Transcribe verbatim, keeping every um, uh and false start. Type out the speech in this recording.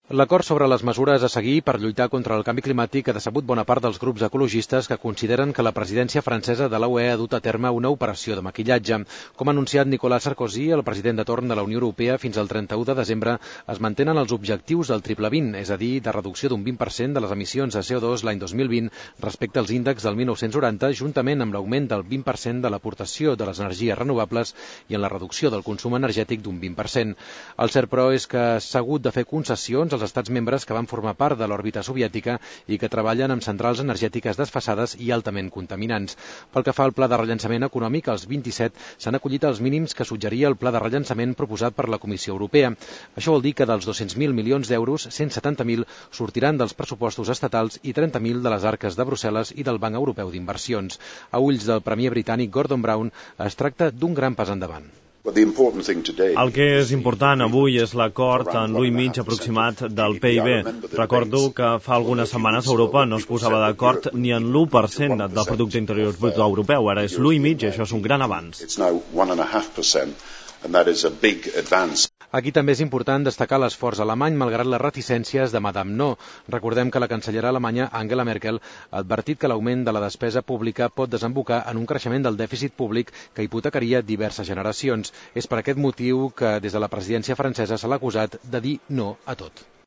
L'acord sobre les mesures a seguir per lluitar contra el canvi climàtic ha decebut bona part dels grups ecologistes que consideren que la presidència francesa de la U E ha dut a terme una operació de maquillatge. Com ha anunciat Nicolas Sarkozy, el president de torn de la Unió Europea, fins al trenta-u de desembre es mantenen els objectius del triple vint, és a dir, de reducció d'un vint per cent de les emissions de C O dos l'any dos mil vint respecte als índexs del mil nou-cents noranta, juntament amb l'augment del vint per cent de l'aportació de les energies renovables i en la reducció del consum energètic d'un vint per cent. El cert, però, és que s'ha hagut de fer concessions als estats membres que van formar part de l'òrbita soviètica i que treballen amb centrals energètiques desfasades i altament contaminants. Pel que fa al pla de rellançament econòmic, els vint-i-set s'han acollit als mínims que suggeria el pla de rellançament proposat per la Comissió Europea. Això vol dir que dels dos-cents mil milions d'euros, cent setanta mil sortiran dels pressupostos estatals i trenta mil de les arques de Brussel·les i del Banc Europeu d'Inversions. A ulls del premier britànic Gordon Brown, es tracta d'un gran pas endavant. El que és important avui és l'acord en l'u i mig aproximat del P I B. Recordo que fa algunes setmanes Europa no es posava d'acord ni en l'u per cent del producte interior brut europeu. Ara és l'u i mig i això és un gran avanç. Aquí també és important destacar l'esforç alemany malgrat les reticències de Madame No. Recordem que la cancellera alemanya Angela Merkel ha advertit que l'augment de la despesa pública pot desembocar en un creixement del dèficit públic que hipotecaria diverses generacions. És per aquest motiu que des de la presidència francesa se l'ha acusat de dir no a tot.